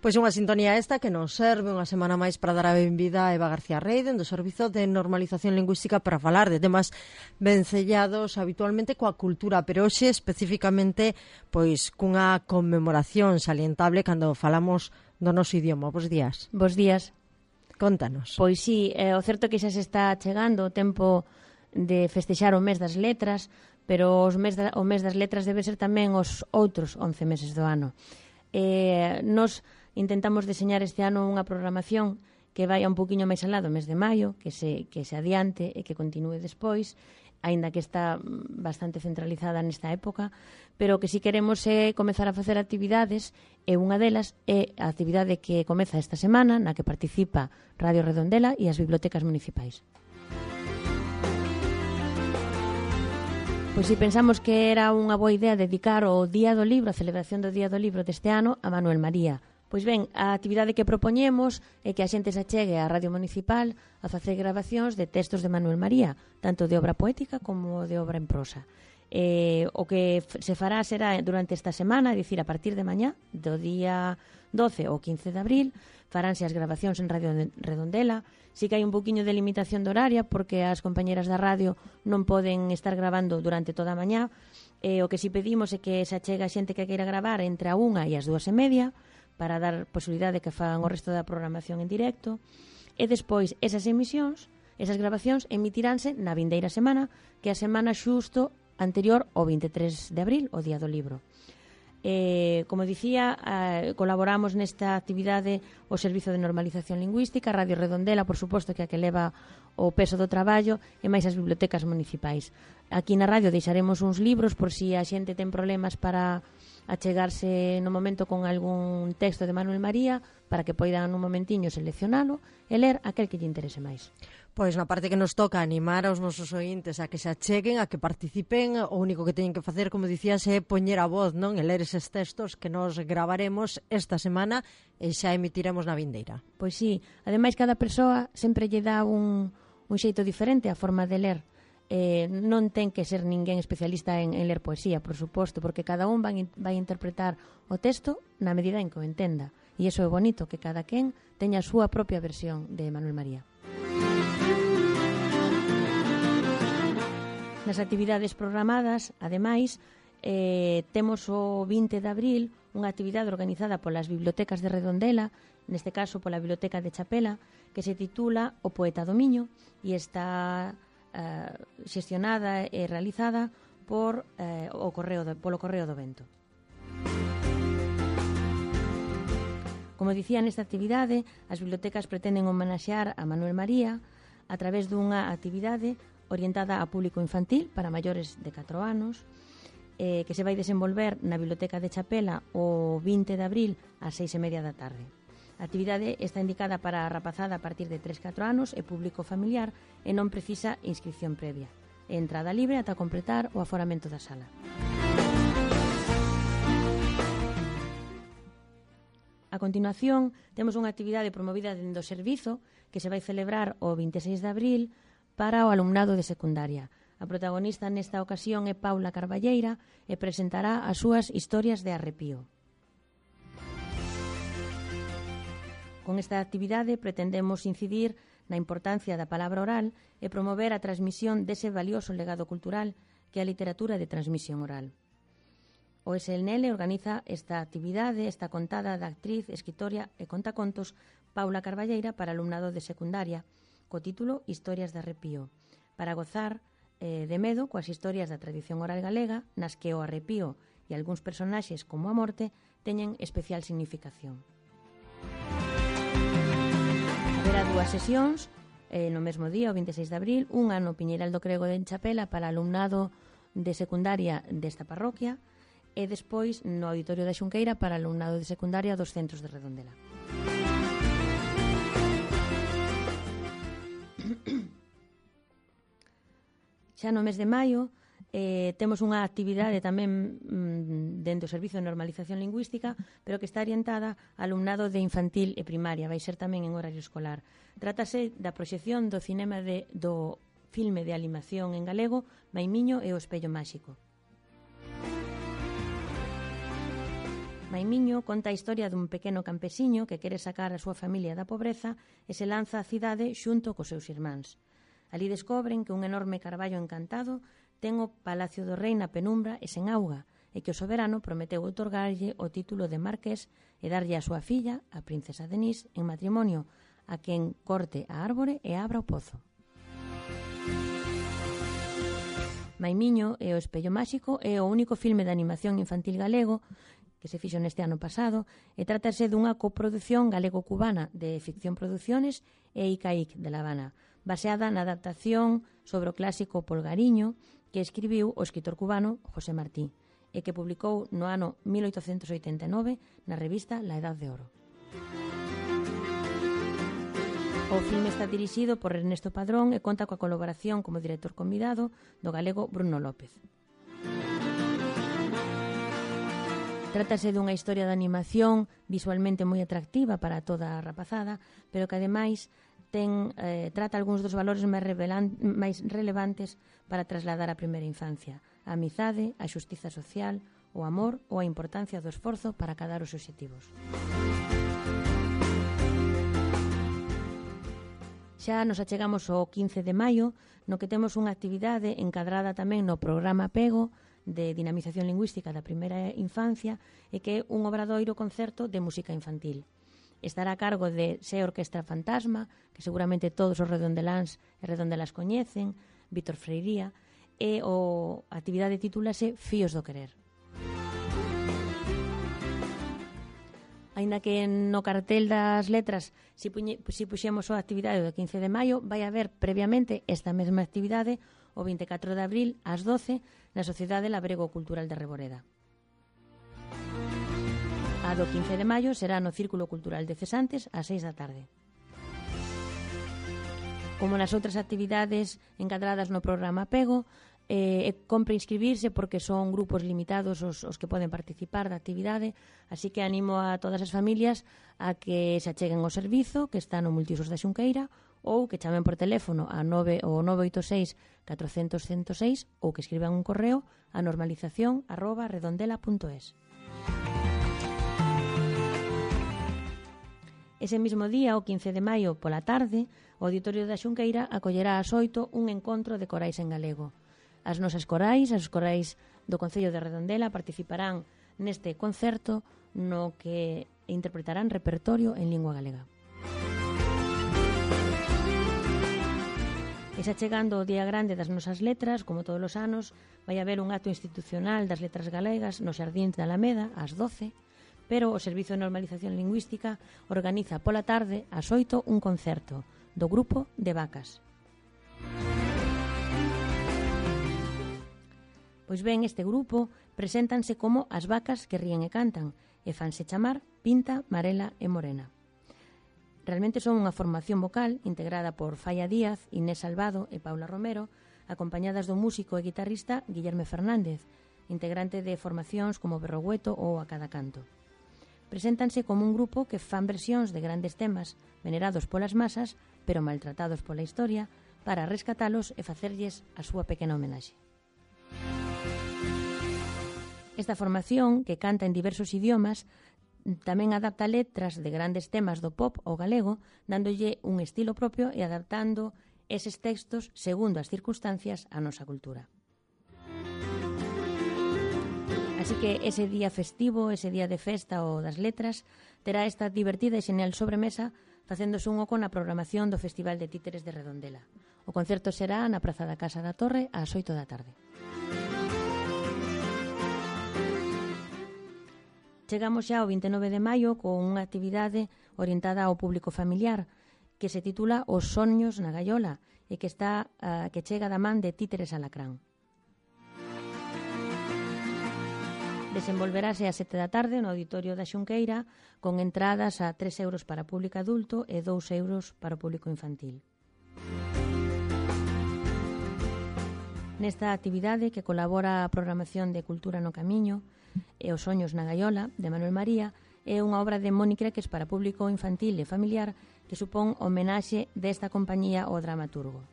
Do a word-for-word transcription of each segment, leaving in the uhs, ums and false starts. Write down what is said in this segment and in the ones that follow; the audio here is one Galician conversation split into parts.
Pois unha sintonía esta que nos serve unha semana máis para dar a benvida a Eva García Reiden do Servizo de Normalización Lingüística para falar de temas vencellados habitualmente coa cultura, pero hoxe especificamente pois cunha conmemoración salientable cando falamos do noso idioma. Bos días. Bos días. Contanos. Pois sí, é o certo que xa se está chegando o tempo de festexar o mes das letras, pero os mes da, o mes das letras debe ser tamén os outros once meses do ano. Eh, nos intentamos deseñar este ano unha programación que vai un poquinho máis alá do mes de maio, que se, que se adiante e que continúe despois, aínda que está bastante centralizada nesta época, pero que si queremos é comezar a facer actividades, e unha delas é a actividade que comeza esta semana, na que participa Radio Redondela e as bibliotecas municipais. Pois si pensamos que era unha boa idea dedicar o Día do Libro, a celebración do Día do Libro deste ano, a Manuel María. Pois ben, a actividade que propoñemos é que a xente se achegue á Radio Municipal a facer grabacións de textos de Manuel María, tanto de obra poética como de obra en prosa. Eh, o que se fará será durante esta semana, é dicir, a partir de mañá, do día doce ou quince de abril, faránse as grabacións en Radio Redondela. Sí que hai un poquinho de limitación de horaria, porque as compañeras da radio non poden estar grabando durante toda a mañá. Eh, o que si pedimos é que se achegue a xente que queira gravar entre a unha e as dúas e media, para dar posibilidade de que fagan o resto da programación en directo. E despois, esas emisións, esas grabacións, emitiránse na vindeira semana, que é a semana xusto anterior ao vinte e tres de abril, o Día do Libro. Eh, como dicía, eh, colaboramos nesta actividade o Servizo de Normalización Lingüística, Radio Redondela, por suposto, que é a que leva o peso do traballo, e máis as bibliotecas municipais. Aquí na radio deixaremos uns libros por si a xente ten problemas para achegarse no momento con algún texto de Manuel María, para que poidan nun momentiño seleccionalo e ler aquel que lle interese máis. Pois na parte que nos toca animar aos nosos ointes a que se acheguen, a que participen, o único que teñen que facer, como dicías, é poñer a voz, non? E ler eses textos que nos gravaremos esta semana e xa emitiremos na vindeira. Pois sí, ademais cada persoa sempre lle dá un, un xeito diferente a forma de ler. Eh, non ten que ser ninguén especialista en, en ler poesía, por suposto, porque cada un vai, vai interpretar o texto na medida en que o entenda. E iso é bonito, que cada quen teña a súa propia versión de Manuel María. Nas actividades programadas, ademais, eh, temos o vinte de abril unha actividade organizada polas bibliotecas de Redondela, neste caso pola Biblioteca de Chapela, que se titula O Poeta do Miño, e está eh, xestionada e realizada por, eh, o correo do, polo Correo do Vento. Como dicía, nesta actividade, as bibliotecas pretenden homenaxear a Manuel María a través dunha actividade orientada a público infantil para maiores de catro anos, eh, que se vai desenvolver na Biblioteca de Chapela o vinte de abril ás seis e media da tarde. A actividade está indicada para a rapazada a partir de tres a catro anos e público familiar e non precisa inscripción previa. É entrada libre ata completar o aforamento da sala. A continuación, temos unha actividade promovida dentro do servizo que se vai celebrar o vinte e seis de abril para o alumnado de secundaria. A protagonista nesta ocasión é Paula Carballeira e presentará as súas historias de arrepío. Con esta actividade pretendemos incidir na importancia da palabra oral e promover a transmisión dese valioso legado cultural que é a literatura de transmisión oral. O S L N L organiza esta actividade, esta contada da actriz, escritora e contacontos Paula Carballeira para alumnado de secundaria, co título Historias de arrepío, para gozar eh, de medo coas historias da tradición oral galega, nas que o arrepío e algúns personaxes como a morte teñen especial significación. Haberá dúas sesións eh, no mesmo día, o vinte e seis de abril, unha no Piñeiral do Crego de Chapela para alumnado de secundaria desta parroquia e despois no Auditorio da Xunqueira para alumnado de secundaria dos centros de Redondela. Xa no mes de maio eh, temos unha actividade tamén mm, dentro do Servizo de Normalización Lingüística, pero que está orientada a alumnado de infantil e primaria, vai ser tamén en horario escolar. Trátase da proxección do cinema de, do filme de animación en galego Maimiño e o espello máxico. Maimiño conta a historia dun pequeno campesiño que quere sacar a súa familia da pobreza e se lanza á cidade xunto cos seus irmáns. Ali descobren que un enorme carballo encantado ten o Palacio do Rei na penumbra e sen auga, e que o soberano prometeu outorgarlle o título de marqués e darlle a súa filla, a princesa Denise, en matrimonio, a quen corte a árbore e abra o pozo. Maimiño e o espello máxico é o único filme de animación infantil galego que se fixo neste ano pasado e trátase dunha coproducción galego-cubana de Ficción Producciones e Icaic de La Habana, baseada na adaptación sobre o clásico Polgariño que escribiu o escritor cubano José Martí e que publicou no ano mil oitocentos oitenta e nove na revista La Edad de Oro. O filme está dirixido por Ernesto Padrón e conta coa colaboración como director convidado do galego Bruno López. Trátase dunha historia de animación visualmente moi atractiva para toda a rapazada, pero que ademais ten, eh, trata algúns dos valores máis, revelan, máis relevantes para trasladar a primeira infancia: a amizade, a xustiza social, o amor ou a importancia do esforzo para acadar os obxectivos. Xa nos achegamos ao quince de maio, no que temos unha actividade encadrada tamén no programa Pego, de dinamización lingüística da primeira infancia, e que é un obradoiro concerto de música infantil. Estará a cargo de Se Orquestra Fantasma, que seguramente todos os redondeláns e redondelas coñecen, Víctor Freiría, e o a actividade titúlase Fíos do Querer. Aínda que no cartel das letras si, puñe, si puxemos a actividade do quince de maio, vai haber previamente esta mesma actividade o vinte e catro de abril ás doce na Sociedade Labrego Cultural de Reboreda. A do quince de maio será no Círculo Cultural de Cesantes ás seis da tarde. Como nas outras actividades encadradas no programa Pego, eh, compre inscribirse porque son grupos limitados os, os que poden participar da actividade, así que animo a todas as familias a que se acheguen ao servizo que está no Multiusos da Xunqueira ou que chamen por teléfono a nove o nove oito seis catro cero cero cento seis ou que escriban un correo a normalización arroba redondela punto es. Ese mismo día, o quince de maio, pola tarde, o Auditorio da Xunqueira acollerá ás oito un encontro de corais en galego. As nosas corais, as corais do Concello de Redondela, participarán neste concerto no que interpretarán repertorio en lingua galega. E xa chegando o Día Grande das Nosas Letras, como todos os anos, vai haber un acto institucional das letras galegas no Xardín da Alameda, ás doce, pero o Servizo de Normalización Lingüística organiza pola tarde, ás oito, un concerto do grupo de Vacas. Pois ben, este grupo preséntanse como as vacas que ríen e cantan e fanse chamar Pinta, Marela e Morena. Realmente son unha formación vocal integrada por Falla Díaz, Inés Salvado e Paula Romero, acompañadas do músico e guitarrista Guillerme Fernández, integrante de formacións como Berrogueto ou A Cada Canto. Preséntanse como un grupo que fan versións de grandes temas venerados polas masas, pero maltratados pola historia, para rescatalos e facerlles a súa pequena homenaxe. Esta formación, que canta en diversos idiomas, tamén adapta letras de grandes temas do pop ao galego, dándolle un estilo propio e adaptando eses textos segundo as circunstancias á nosa cultura. Así que ese día festivo, ese día de festa ou das letras, terá esta divertida e xenial sobremesa facéndose un oco na programación do Festival de Títeres de Redondela. O concerto será na Praza da Casa da Torre ás oito da tarde. Chegamos xa ao vinte e nove de maio con unha actividade orientada ao público familiar que se titula Os soños na gaiola e que está uh, que chega da man de Títeres Alacrán. Desenvolverase a sete da tarde no Auditorio da Xunqueira con entradas a tres euros para público adulto e dous euros para o público infantil. Nesta actividade que colabora a programación de Cultura no Camiño e Os soños na gaiola, de Manuel María, é unha obra de Moni Creques para público infantil e familiar que supón homenaxe desta compañía ao dramaturgo.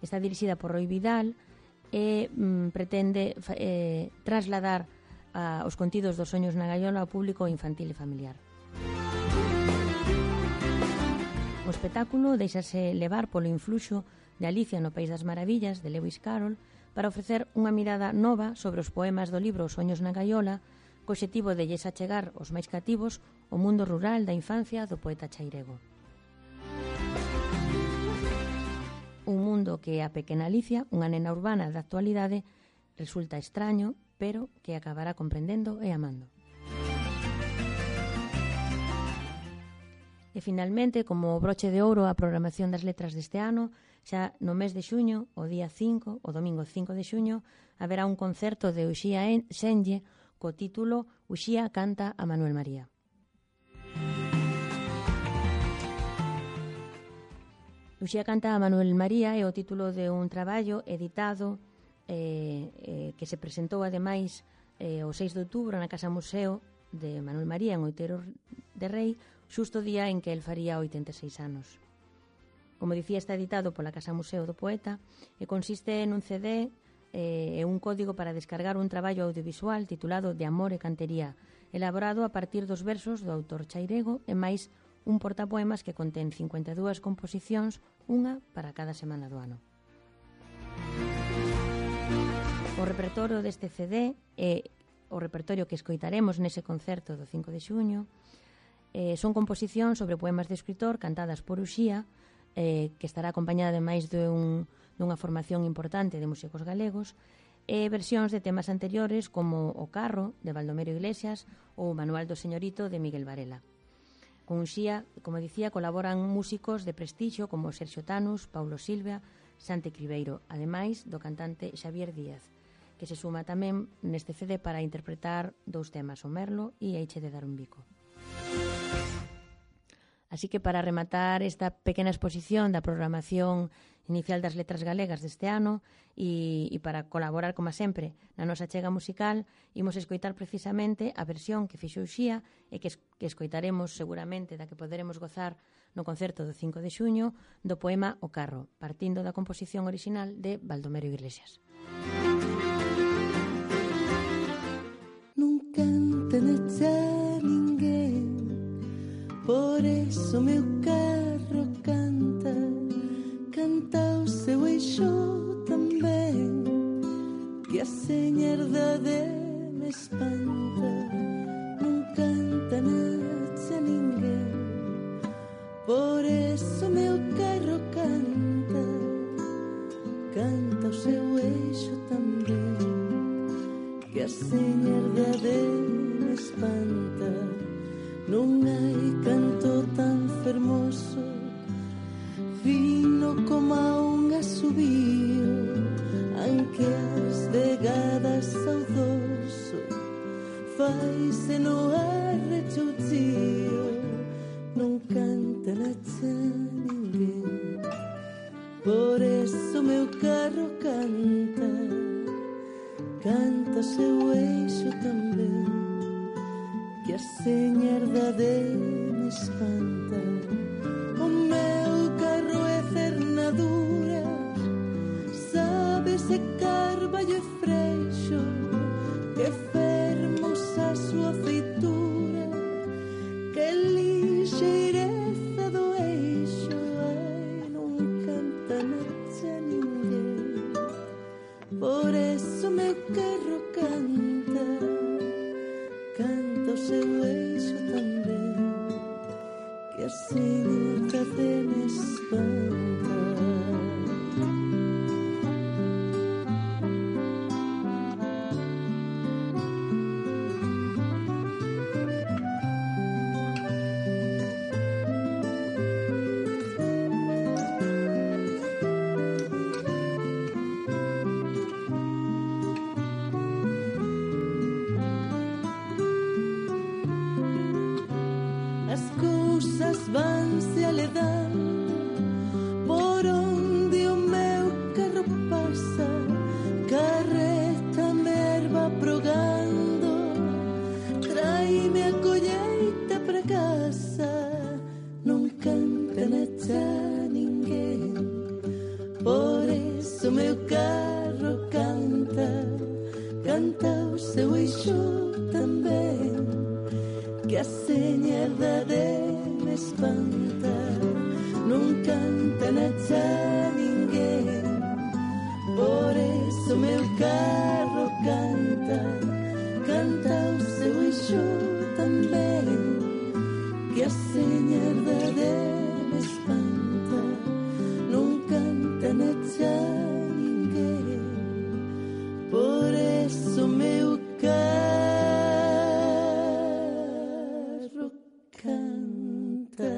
Está dirixida por Roi Vidal e mm, pretende eh, trasladar a, os contidos dos Soños na gaiola ao público infantil e familiar. O espectáculo deixase levar polo influxo de Alicia no País das Maravillas, de Lewis Carroll, para ofrecer unha mirada nova sobre os poemas do libro Os Soños na gaiola, co obxectivo de lles achegar os máis cativos o mundo rural da infancia do poeta chairego. Un mundo que a pequena Alicia, unha nena urbana da actualidade, resulta extraño, pero que acabará comprendendo e amando. E finalmente, como broche de ouro a programación das letras deste ano, xa no mes de xuño, o día cinco, o domingo cinco de xuño, haberá un concerto de Uxía Senlle co título Uxía canta a Manuel María. Uxía canta a Manuel María é o título de un traballo editado eh, eh, que se presentou ademais eh, o seis de outubro na Casa Museo de Manuel María en Outeiro de Rei, xusto o día en que el faría oitenta e seis anos. Como dicía, está editado pola Casa Museo do Poeta e consiste nun C D e un código para descargar un traballo audiovisual titulado De amor e cantería, elaborado a partir dos versos do autor chairego e máis un portapoemas que contén cincuenta e dúas composicións, unha para cada semana do ano. O repertorio deste C D é o repertorio que escoitaremos nese concerto do cinco de xuño. Eh, son composicións sobre poemas de escritor cantadas por Uxía, eh, que estará acompañada ademais de un dunha formación importante de músicos galegos, e versións de temas anteriores como O carro, de Baldomero Iglesias, ou O manual do señorito, de Miguel Varela. Con Uxía, como dicía, colaboran músicos de prestixio como Sergio Tanus, Paulo Silva, Sante Cribeiro, ademais do cantante Xavier Díaz, que se suma tamén neste C D para interpretar dous temas, O merlo e Eiche de dar un bico. Así que para rematar esta pequena exposición da programación inicial das letras galegas deste ano e, e para colaborar, como sempre, na nosa chega musical, imos escoitar precisamente a versión que fixo Uxía e que, es, que escoitaremos seguramente, da que poderemos gozar no concerto do cinco de xuño, do poema O carro, partindo da composición original de Baldomero Iglesias. Non canta necha ninguén, por eso meu carro canta, canta o seu eixo tamén, que a señerdade me espanta. Non canta necha ninguén, por eso meu carro canta, canta o seu eixo tamén, que a señerdade me espanta. Non hai canto tan fermoso, fino como a un asubío, anque as vegadas ao dorso faise no arrechoucío. Non canta nacha ninguén, por eso meu carro canta, canta o seu eixo tamén, que a señerdade me espanta. O meu carro é cernadura, sabe se carballo e freixo, que fermosa a súa feitura, que lixeireza do eixo. Ai, non canta nacha ninguén, por eso meu carro canta, canta o seu eixo tamén, que a señerdade me espanta. Vanse aledando por onde o meu carro pasa, carreta me erva progando, traime a colleita pra casa. Non canta nacha ninguén, por eso meu carro canta, canta canta o seu eixo tamén, que a señerdade me espanta. Non canta na xa ninguén, por eso meu carro canta, canta o seu eixo tamén, que a señerdade me espanta. Non canta na xa ninguén, por eso meu carro canta.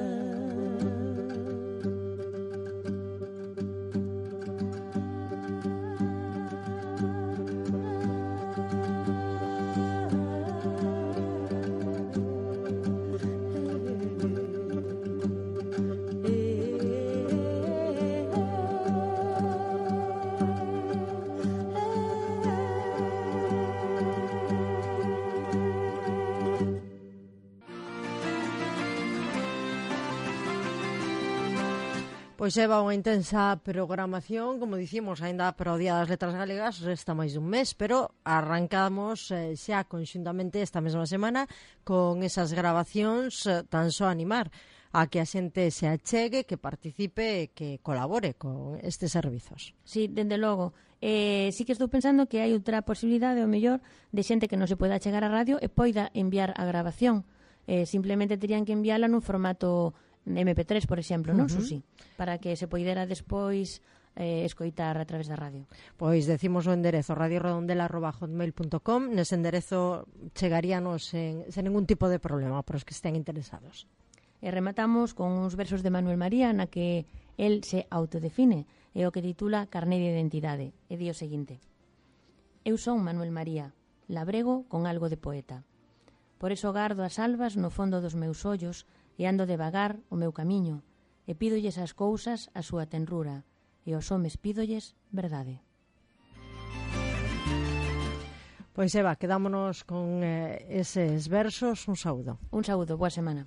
Pois Eva, unha intensa programación, como dicimos, aínda para o Día das Letras Galegas, resta máis dun mes, pero arrancamos eh, xa conxuntamente esta mesma semana con esas grabacións, eh, tan só animar a que a xente se achegue, que participe e que colabore con estes servizos. Sí, dende logo. Eh, sí que estou pensando que hai outra posibilidade, o mellor, de xente que non se poida chegar á radio e poida enviar a grabación. Eh, simplemente terían que enviala nun formato eme pe tres, por exemplo, non, uh -huh. Susi? Para que se poidera despois eh, escoitar a través da radio. Pois decimos o enderezo radio redondela arroba hotmail punto com. Nese enderezo chegaríanos sen, sen ningún tipo de problema para os que estén interesados. E rematamos con uns versos de Manuel María na que el se autodefine e o que titula Carné de Identidade. E di o seguinte: Eu son Manuel María, labrego con algo de poeta. Por eso gardo as albas no fondo dos meus ollos e ando devagar o meu camiño, e pídolles as cousas a súa tenrura, e aos homes pídolles verdade. Pois Eva, quedámonos con eh, eses versos. Un saúdo. Un saúdo, boa semana.